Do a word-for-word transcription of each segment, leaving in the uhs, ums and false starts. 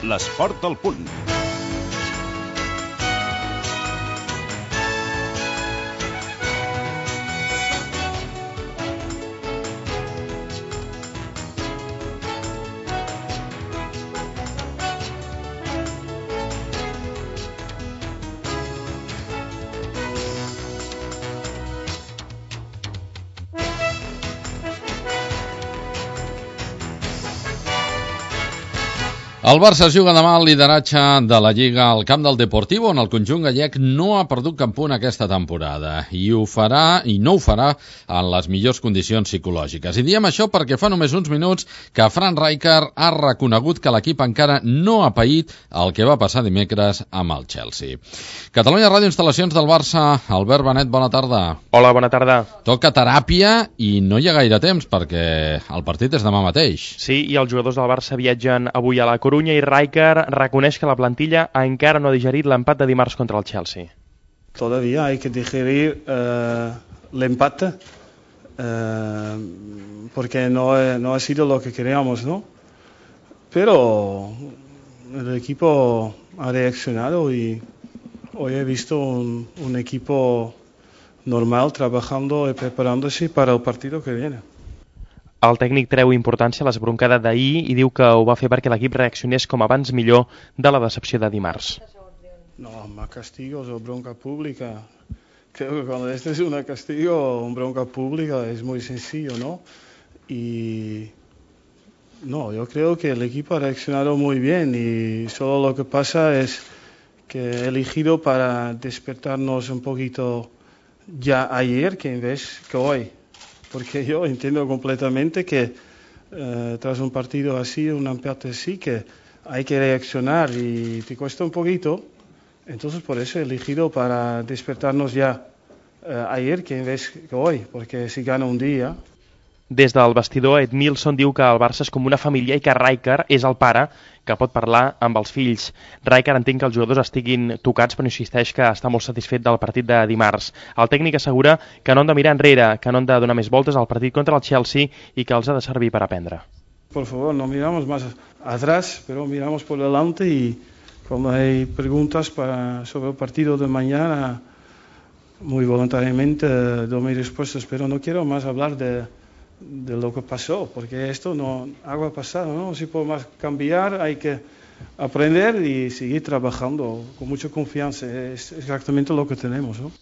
L'esport al punt. El Barça juga demà al lideratge de la Lliga al camp del Deportivo, on el conjunt gallec no ha perdut cap punt aquesta temporada. I ho farà, i no ho farà, en les millors condicions psicològiques. I diem això perquè fa només uns minuts que Frank Rijkaard ha reconegut que l'equip encara no ha paït el que va passar dimecres amb el Chelsea. Catalunya Ràdio, instal·lacions del Barça. Albert Benet, bona tarda. Hola, bona tarda. Toca teràpia i no hi ha gaire temps perquè el partit és demà mateix. Sí, i els jugadors del Barça viatgen avui a la Corunya i Rijkaard reconeix que la plantilla encara no ha digerit l'empat de dimarts contra el Chelsea. Todavía hay que digerir eh, el empate eh, porque no, no ha sido lo que queríamos, ¿no? Pero el equipo ha reaccionado y hoy he visto un, un equipo normal trabajando y preparándose para el partido que viene. El tècnic treu importància a l'esbroncada d'ahir i diu que ho va fer perquè l'equip reaccionés com abans millor de la decepció de dimarts. No, más castigos o bronca pública. Creo que cuando este es un castigo o una bronca pública es muy sencillo, ¿no? Y no, yo creo que el equipo ha reaccionado muy bien y solo lo que pasa es que he elegido para despertarnos un poquito ya ayer que en vez que hoy. Porque yo entiendo completamente que eh, tras un partido así, un empate así, que hay que reaccionar y te cuesta un poquito. Entonces por eso he elegido para despertarnos ya eh, ayer que en vez que hoy, porque si gana un día... Des del vestidor, Ed Milson diu que el Barça és com una família i que Rijkaard és el pare que pot parlar amb els fills. Rijkaard entén que els jugadors estiguin tocats, però insisteix que està molt satisfet del partit de dimarts. El tècnic assegura que no han de mirar enrere, que no han de donar més voltes al partit contra el Chelsea i que els ha de servir per aprendre. Por favor, no miramos más atrás, pero miramos por delante y cuando hay preguntas para, sobre el partido de mañana, muy voluntariamente doy mis respuestas, pero no quiero más hablar de... de lo que pasó, porque esto no algo ha pasado, no se puede más cambiar, hay que aprender y seguir trabajando con mucha confianza, es exactamente lo que tenemos, ¿no?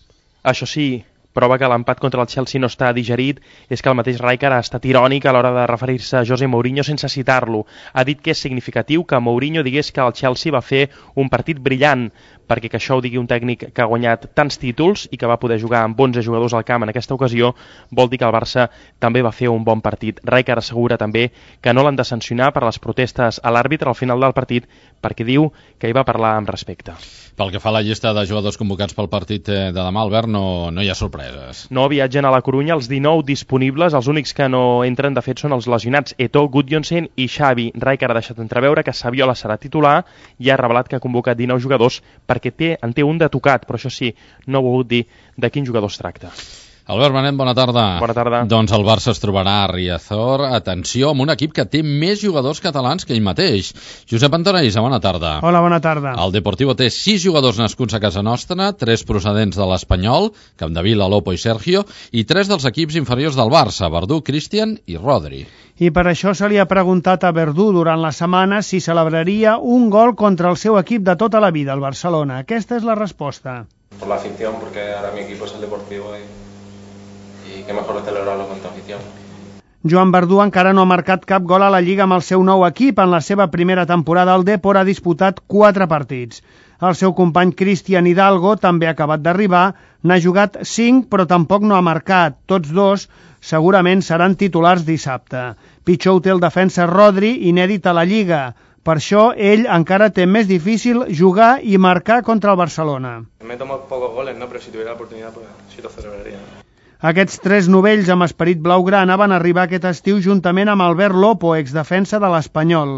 Això sí, prova que l'empat contra el Chelsea no està digerit és que el mateix Rijkaard ha estat irònic a l'hora de referir-se a José Mourinho sense citar-lo. Ha dit que és significatiu que Mourinho digués que el Chelsea va fer un partit brillant, perquè que això ho digui un tècnic que ha guanyat tants títols i que va poder jugar amb onze jugadors al camp en aquesta ocasió, vol dir que el Barça també va fer un bon partit. Rijkaard assegura també que no l'han de sancionar per les protestes a l'àrbitre al final del partit, perquè diu que hi va parlar amb respecte. Pel que fa a la llista de jugadors convocats pel partit de demà, Albert, no, no hi ha sorpreses. No viatgen a la Corunya els dinou disponibles, els únics que no entren de fet són els lesionats Eto'o, Gudjohnsen i Xavi. Rijkaard ha deixat entreveure que Saviola serà titular i ha revelat que ha convocat dinou jugadors perquè té, en té un de tocat, però això sí, no ha volgut dir de quin jugador es tracta. Albert Benet, bona tarda. Bona tarda. Doncs el Barça es trobarà a Riazor, atenció, amb un equip que té més jugadors catalans que ell mateix. Josep Antonelisa, bona tarda. Hola, bona tarda. El Deportivo té sis jugadors nascuts a casa nostra, tres procedents de l'Espanyol, Capdevila, Lopo i Sergio, i tres dels equips inferiors del Barça, Verdú, Cristian i Rodri. I per això se li ha preguntat a Verdú durant la setmana si celebraria un gol contra el seu equip de tota la vida, el Barcelona. Aquesta és la resposta. Por la afición, porque ahora mi equipo es el Deportivo y... i que mejor celebrarlo contra afición. Joan Verdú encara no ha marcat cap gol a la Lliga amb el seu nou equip. En la seva primera temporada al Depor ha disputat quatre partits. El seu company Cristian Hidalgo també ha acabat d'arribar, n'ha jugat cinc però tampoc no ha marcat. Tots dos segurament seran titulars dissabte. Pitjor ho té el defensa Rodri, inèdit a la Lliga. Per això ell encara té més difícil jugar i marcar contra el Barcelona. Me tomo pocos goles, ¿no? Pero si tuviera la oportunidad, pues sí lo celebraría. Aquests tres novells amb esperit blaugrana van arribar aquest estiu juntament amb Albert Lopo, exdefensa de l'Espanyol.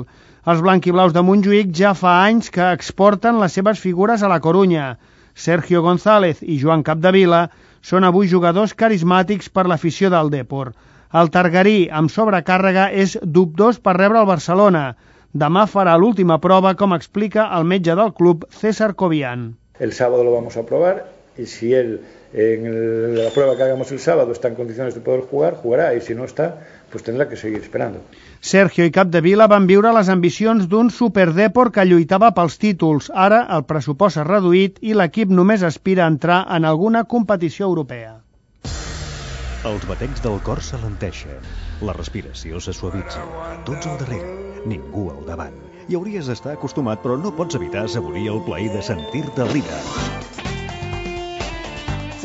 Els blanquiblaus de Montjuïc ja fa anys que exporten les seves figures a la Corunya. Sergio González i Joan Capdevila són avui jugadors carismàtics per l'afició del Depor. El targarí, amb sobrecàrrega, és dubtós per rebre el Barcelona. Demà farà l'última prova, com explica el metge del club, César Cobian. El sábado lo vamos a probar y si él en el, la prueba que hagamos el sábado está en condiciones de poder jugar, jugará, y si no está, pues tendrá que seguir esperando. Sergio i Capdevila van viure les ambicions d'un superdèport que lluitava pels títols. Ara el pressupost s'ha reduït i l'equip només aspira a entrar en alguna competició europea. Els batecs del cor s'alenteixen, la respiració se suavitza, tots al darrere, ningú al davant. Hi hauries d'estar acostumat, però no pots evitar assaborir el plaer de sentir-te líder.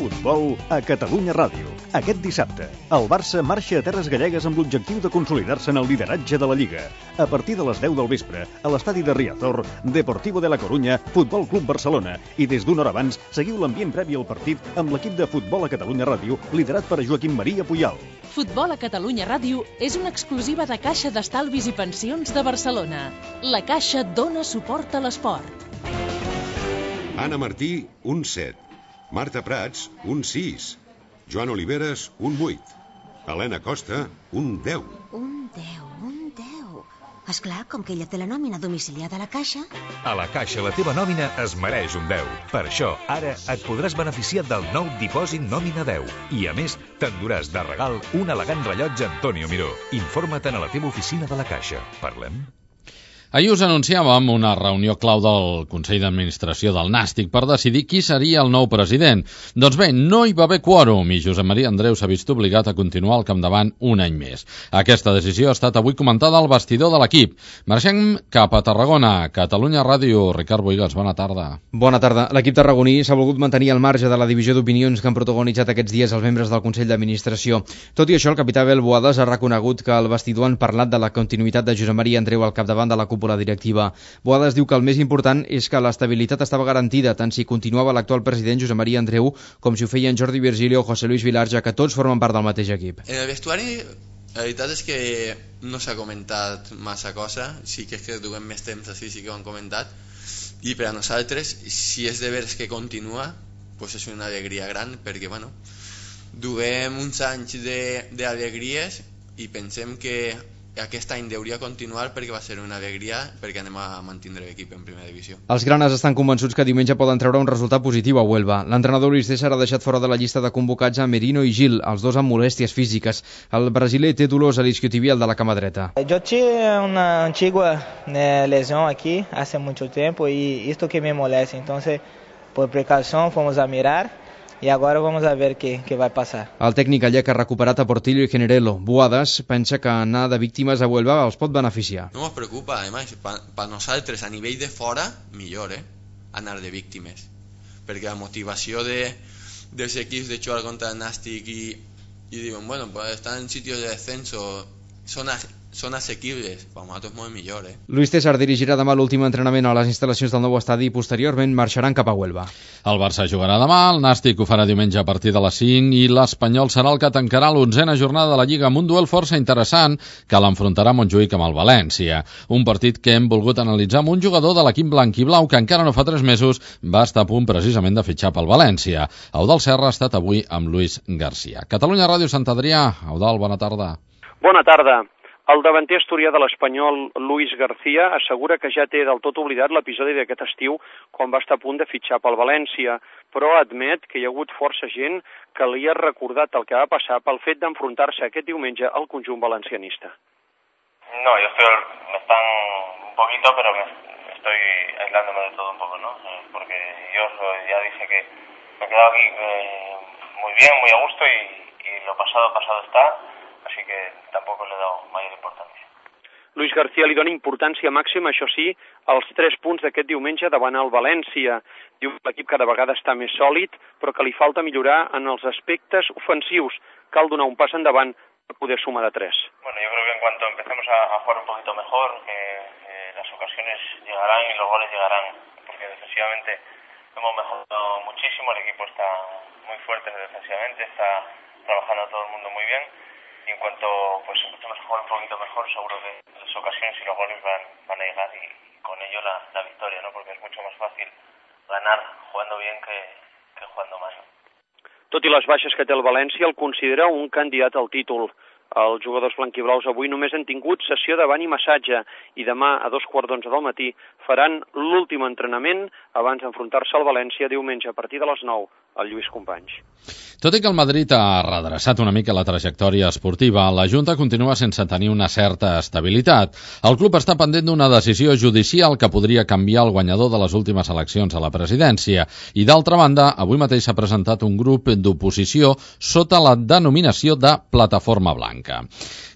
Futbol a Catalunya Ràdio. Aquest dissabte, el Barça marxa a Terres Gallegues amb l'objectiu de consolidar-se en el lideratge de la Lliga. A partir de les deu del vespre, a l'estadi de Riazor, Deportivo de la Corunya, Futbol Club Barcelona. I des d'una hora abans, seguiu l'ambient previ al partit amb l'equip de Futbol a Catalunya Ràdio, liderat per Joaquim Maria Puyal. Futbol a Catalunya Ràdio és una exclusiva de Caixa d'Estalvis i Pensions de Barcelona. La Caixa dona suport a l'esport. Anna Martí, un set. Marta Prats, un sis. Joan Oliveres, un vuit. Helena Costa, un deu. Un deu, un deu. Esclar, com que ella té la nòmina domiciliada a la Caixa... A la Caixa la teva nòmina es mereix un deu. Per això, ara et podràs beneficiar del nou dipòsit nòmina deu. I, a més, t'enduràs de regal un elegant rellotge Antonio Miró. Informa't a la teva oficina de la Caixa. Parlem? Ahir us anunciàvem una reunió clau del Consell d'Administració del Nàstic per decidir qui seria el nou president. Doncs bé, no hi va haver quòrum i Josep Maria Andreu s'ha vist obligat a continuar al capdavant un any més. Aquesta decisió ha estat avui comentada al vestidor de l'equip. Marxem cap a Tarragona. Catalunya Ràdio. Ricard Boigas, bona tarda. Bona tarda. L'equip tarragoní s'ha volgut mantenir al marge de la divisió d'opinions que han protagonitzat aquests dies els membres del Consell d'Administració. Tot i això, el capità Abel Boades ha reconegut que al vestidor han parlat de la continuïtat de Josep Maria Andreu al capdavant de la cúpula directiva. Boades diu que el més important és que l'estabilitat estava garantida, tant si continuava l'actual president Josep Maria Andreu com si ho feien Jordi Virgili o José Luis Vilar, ja que tots formen part del mateix equip. En el vestuari, la veritat és que no s'ha comentat massa cosa, sí que és que duguem més temps així, sí que ho han comentat, i per a nosaltres, si és de veres que continua, pues és una alegria gran, perquè bueno, duguem uns anys d'alegries i pensem que aquest any hauria continuar perquè va ser una alegria, perquè anem a mantindre l'equip en primera divisió. Els granes estan convençuts que diumenge poden treure un resultat positiu a Huelva. L'entrenador Luis César ha deixat fora de la llista de convocats a Merino i Gil, els dos amb molèsties físiques. El brasiler té dolors a l'isquiotibial de la cama dreta. Jo tinc una antigua eh, lesión aquí hace mucho tiempo y esto que me molesta, entonces por precaución fomos a mirar i ara vamos a ver què, què va passar. El tècnic gallec ha recuperat a Portillo i Generelo. Boades pensa que anar de víctimes a Huelva els pot beneficiar. No ens preocupa, además, per nosaltres a nivell de fora, millor, eh? Anar de víctimes. Perquè la motivació de, dels equips de jugar contra el Nàstic i, i diuen, bueno, pues estan en sitios de descenso, són, a, són assequibles, per nosaltres molt millor, eh? Luis César dirigirà demà l'últim entrenament a les instal·lacions del nou estadi i posteriorment marxaran cap a Huelva. El Barça jugarà demà, el Nàstic ho farà diumenge a partir de les cinc i l'Espanyol serà el que tancarà l'onzena jornada de la Lliga amb un duel força interessant que l'enfrontarà Montjuïc amb el València. Un partit que hem volgut analitzar amb un jugador de l'equip blanc i blau que encara no fa tres mesos va estar a punt precisament de fitxar pel València. Eudald Serra ha estat avui amb Luis García. Catalunya Ràdio Sant Adrià. Eudald, bona tarda. Bona tarda. El davanter asturià de l'Espanyol, Luis García, assegura que ja té del tot oblidat l'episodi d'aquest estiu quan va estar a punt de fitxar pel València, però admet que hi ha hagut força gent que li ha recordat el que va passar pel fet d'enfrontar-se aquest diumenge al conjunt valencianista. No, yo estoy, me están un poquito, pero me estoy aislándome de todo un poco, ¿no? Porque yo ya dije que me he quedado aquí eh, muy bien, muy a gusto y, y lo pasado, pasado está. Així que tampoc li he dado major importància. Luis García li dona importància màxima, això sí, als tres punts d'aquest diumenge davant el València. Diu que l'equip cada vegada està més sòlid, però que li falta millorar en els aspectes ofensius. Cal donar un pas endavant per poder sumar de tres. Bueno, yo creo que en cuanto empecemos a, a jugar un poquito mejor, que eh, las ocasiones llegarán y los goles llegarán, porque defensivamente hemos mejorado muchísimo, el equipo está muy fuerte defensivamente, está trabajando todo el mundo muy bien. Y en cuanto pues empecemos a jugar un poquito mejor, seguro que las ocasiones y los goles van, van a llegar y con ello la, la victoria, ¿no? Porque es mucho más fácil ganar jugando bien que, que jugando mal. Tot i les baixes que té el València, el considera un candidat al títol. Els jugadors blanquiblaus avui només han tingut sessió de bany i massatge i demà a dos quarts d'onze del matí faran l'últim entrenament abans d'enfrontar-se al València diumenge a partir de les nou al Lluís Companys. Tot i que el Madrid ha redreçat una mica la trajectòria esportiva, la Junta continua sense tenir una certa estabilitat. El club està pendent d'una decisió judicial que podria canviar el guanyador de les últimes eleccions a la presidència. I d'altra banda, avui mateix s'ha presentat un grup d'oposició sota la denominació de Plataforma Blanca.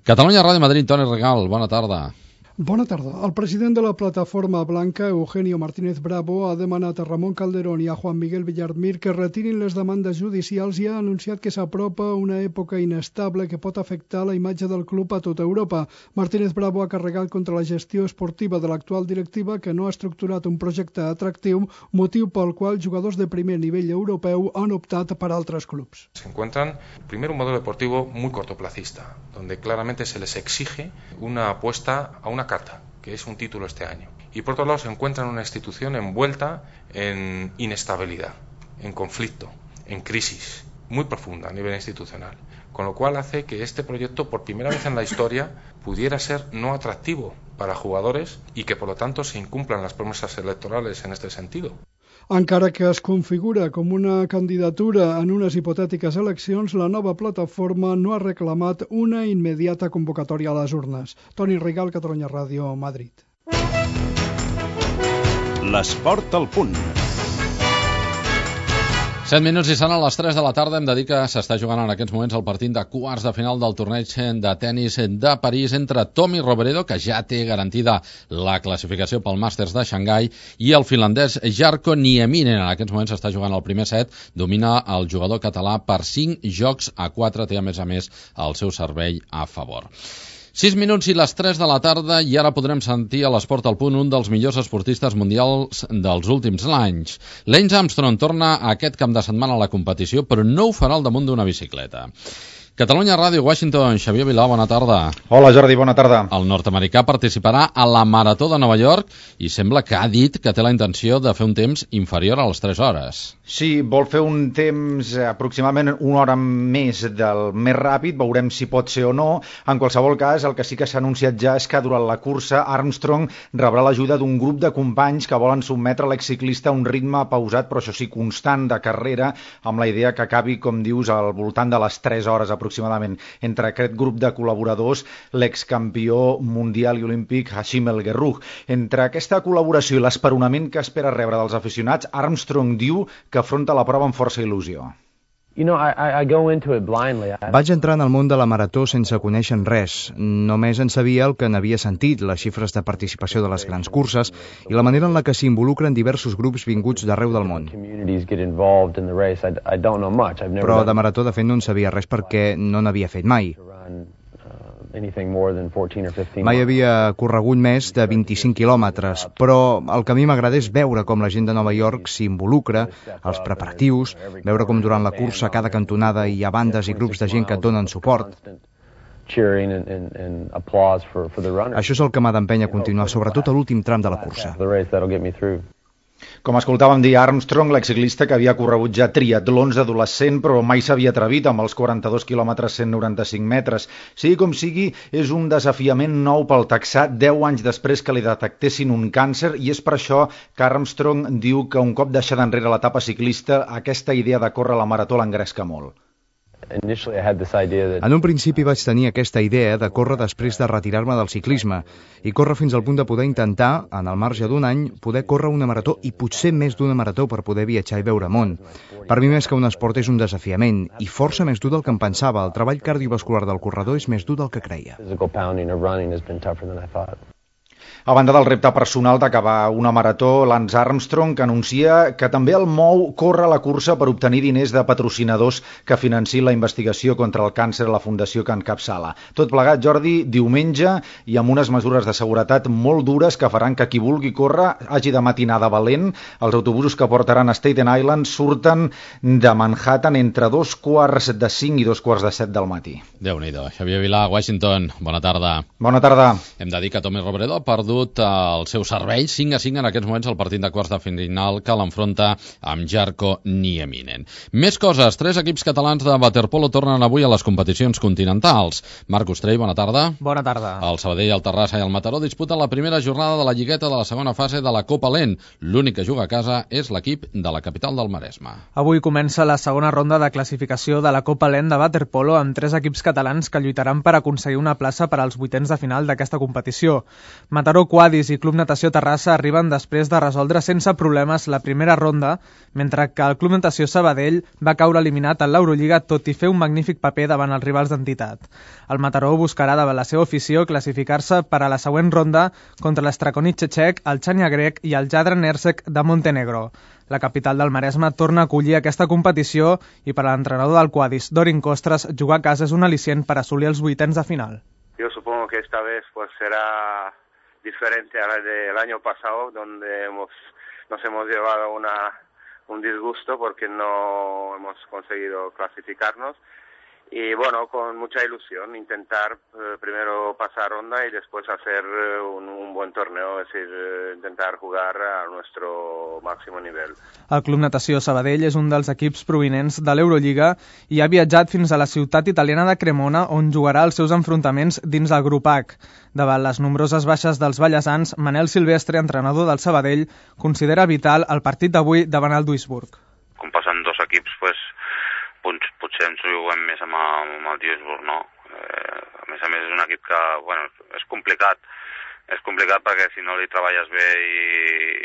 Catalunya Ràdio Madrid, Toni Regal, bona tarda. Bona tarda. El president de la Plataforma Blanca, Eugenio Martínez Bravo, ha demanat a Ramon Calderón i a Juan Miguel Villarmir que retirin les demandes judicials i ha anunciat que s'apropa una època inestable que pot afectar la imatge del club a tota Europa. Martínez Bravo ha carregat contra la gestió esportiva de l'actual directiva que no ha estructurat un projecte atractiu, motiu pel qual jugadors de primer nivell europeu han optat per altres clubs. Se encuentran, primero, un modelo deportivo muy cortoplacista, donde claramente se les exige una apuesta a una carta, que es un título este año. Y por otro lado se encuentran una institución envuelta en inestabilidad, en conflicto, en crisis muy profunda a nivel institucional, con lo cual hace que este proyecto por primera vez en la historia pudiera ser no atractivo para jugadores y que por lo tanto se incumplan las promesas electorales en este sentido. Encara que es configura com una candidatura en unes hipotètiques eleccions, la nova plataforma no ha reclamat una immediata convocatòria a les urnes. Toni Rigal, Catalunya Ràdio, Madrid. L'esport al punt. set minuts i seran a les tres de la tarda. Hem de dir que s'està jugant en aquests moments el partit de quarts de final del torneig de tennis de París entre Tommy Robredo, que ja té garantida la classificació pel Màsters de Xangai, i el finlandès Jarkko Nieminen. En aquests moments s'està jugant el primer set. Domina el jugador català per cinc jocs a quatre. Té a més a més el seu servei a favor. sis minuts i les tres de la tarda i ara podrem sentir a l'Esport al Punt un dels millors esportistes mundials dels últims anys. Lance Armstrong torna a aquest cap de setmana a la competició, però no ho farà al damunt d'una bicicleta. Catalunya Ràdio, Washington, Xavier Vilà, bona tarda. Hola Jordi, bona tarda. El nord-americà participarà a la Marató de Nova York i sembla que ha dit que té la intenció de fer un temps inferior a les tres hores. Sí, vol fer un temps aproximadament una hora més del més ràpid, veurem si pot ser o no. En qualsevol cas, el que sí que s'ha anunciat ja és que durant la cursa Armstrong rebrà l'ajuda d'un grup de companys que volen sotmetre l'exciclista a un ritme pausat, però això sí, constant de carrera, amb la idea que acabi, com dius, al voltant de les tres hores aproximadament. Entre aquest grup de col·laboradors, l'excampió mundial i olímpic Hashim El Guerrouj. Entre aquesta col·laboració i l'esperonament que espera rebre dels aficionats, Armstrong diu que afronta la prova amb força il·lusió. You know, I, I go into it blindly. Vaig entrar en el món de la marató sense conèixer res. Només en sabia el que n'havia sentit, les xifres de participació de les grans curses i la manera en la que s'involucren diversos grups vinguts d'arreu del món. Però de marató, de fet, no en sabia res perquè no n'havia fet mai. Mai havia corregut més de vint-i-cinc quilòmetres, però el que a mi m'agrada és veure com la gent de Nova York s'involucra, els preparatius, veure com durant la cursa a cada cantonada hi ha bandes i grups de gent que et donen suport. Això és el que m'ha d'empènyer a continuar, sobretot a l'últim tram de la cursa. Com escoltàvem dir, Armstrong, l'exciclista que havia corregut ja triatlons d'adolescent, però mai s'havia atrevit amb els quaranta-dos quilòmetres cent noranta-cinc metres. Sigui com sigui, és un desafiament nou pel texà deu anys després que li detectessin un càncer, i és per això que Armstrong diu que un cop deixada enrere l'etapa ciclista, aquesta idea de córrer la marató l'engresca molt. En un principi vaig tenir aquesta idea de córrer després de retirar-me del ciclisme i córrer fins al punt de poder intentar, en el marge d'un any, poder córrer una marató i potser més d'una marató per poder viatjar i veure món. Per mi, més que un esport, és un desafiament i força més dur del que em pensava. El treball cardiovascular del corredor és més dur del que creia. A banda del repte personal d'acabar una marató, Lance Armstrong que anuncia que també el mou córrer la cursa per obtenir diners de patrocinadors que financin la investigació contra el càncer a la fundació que encapçala. Tot plegat, Jordi, diumenge i amb unes mesures de seguretat molt dures que faran que qui vulgui córrer hagi de matinar de valent. Els autobusos que portaran a Staten Island surten de Manhattan entre dos quarts de cinc i dos quarts de set del matí. Déu-n'hi-do. Xavier Vilà, Washington, bona tarda. Bona tarda. Hem de dir que Tommy Robredo perdut el seu servei, cinc a cinc en aquests moments el partit de quarts de final que l'enfronta amb Jarko Nieminen. Més coses, tres equips catalans de waterpolo tornen avui a les competicions continentals. Marc Ostrell, bona tarda. Bona tarda. El Sabadell, el Terrassa i el Mataró disputen la primera jornada de la lligueta de la segona fase de la Copa Lent. L'únic que juga a casa és l'equip de la capital del Maresme. Avui comença la segona ronda de classificació de la Copa Lent de waterpolo amb tres equips catalans que lluitaran per aconseguir una plaça per als vuitens de final d'aquesta competició. Mataró Quadis i Club Natació Terrassa arriben després de resoldre sense problemes la primera ronda, mentre que el Club Natació Sabadell va caure eliminat en l'Eurolliga tot i fer un magnífic paper davant els rivals d'entitat. El Mataró buscarà davant la seva afició classificar-se per a la següent ronda contra l'Strakonice txec, el Chania grec i el Jadran Ersek de Montenegro. La capital del Maresme torna a acollir aquesta competició i per a l'entrenador del Quadis, Dorin Costres, jugar a casa és un al·licient per assolir els vuitens de final. Yo supongo que esta vez pues será diferente a la del año pasado, donde hemos, nos hemos llevado una, un disgusto porque no hemos conseguido clasificarnos. Y bueno, con mucha ilusión, intentar eh, primero pasar ronda y después hacer eh, un, un buen torneo, es decir, eh, intentar jugar a nuestro máximo nivel. El Club Natació Sabadell és un dels equips provinents de l'Eurolliga i ha viatjat fins a la ciutat italiana de Cremona, on jugarà els seus enfrontaments dins del grup H. Davant les nombroses baixes dels ballesans, Manel Silvestre, entrenador del Sabadell, considera vital el partit d'avui davant el Duisburg. Com passen dos equips, pues, potser ens juguem més amb el, amb el Duisburg, no? Eh, a més a més és un equip que, bueno, és complicat. És complicat perquè si no li treballes bé i,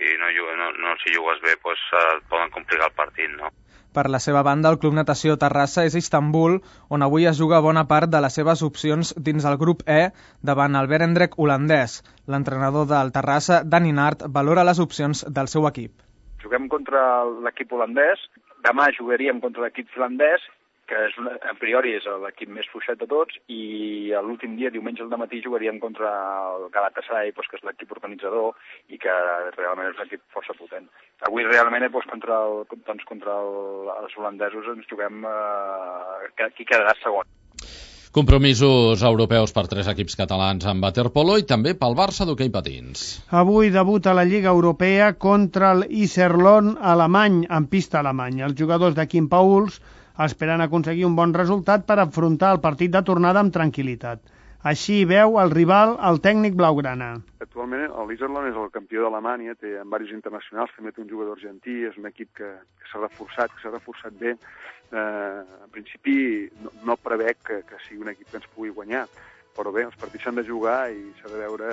i no, no, no si jugues bé, pues, et poden complicar el partit, no? Per la seva banda, el Club Natació Terrassa és a Istanbul, on avui es juga bona part de les seves opcions dins el grup E davant el Berendrecht holandès. L'entrenador del Terrassa, Dani Nart, valora les opcions del seu equip. Juguem contra l'equip holandès, demà jugaríem contra l'equip finlandès, que és una, a priori és l'equip més fluixet de tots, i l'últim dia, diumenge al matí, jugaríem contra el Galatasaray, doncs, que és l'equip organitzador i que realment és un equip força potent. Avui realment doncs, contra, el, doncs, contra el, els holandesos ens juguem eh, qui quedarà segon. Compromisos europeus per tres equips catalans en waterpolo i també pel Barça d'hoquei patins. Avui debuta la Lliga Europea contra l'Iserlohn alemany, en pista alemanya. Els jugadors de Quim Pauls esperant aconseguir un bon resultat per afrontar el partit de tornada amb tranquil·litat. Així veu el rival, el tècnic blaugrana. Actualment l'Iserlohn és el campió d'Alemanya, té en diversos internacionals, també té un jugador argentí, és un equip que, que s'ha reforçat, que s'ha reforçat bé. Eh, en principi no, no prevec que, que sigui un equip que ens pugui guanyar, però bé, els partits s'han de jugar i s'ha de veure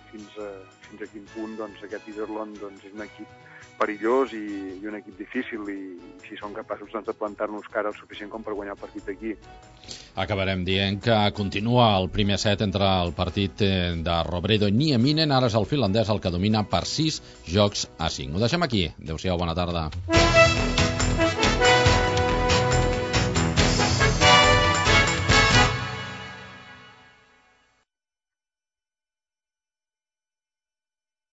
fins a, fins a quin punt doncs, aquest Iserlohn doncs, és un equip perillós i, i un equip difícil i, i si són capaços doncs, de plantar-nos cara el suficient com per guanyar el partit aquí. Acabarem dient que continua el primer set entre el partit de Robredo i Nieminen, ara és el finlandès el que domina per sis jocs a cinc. Ho deixem aquí. Adéu-siau, bona tarda.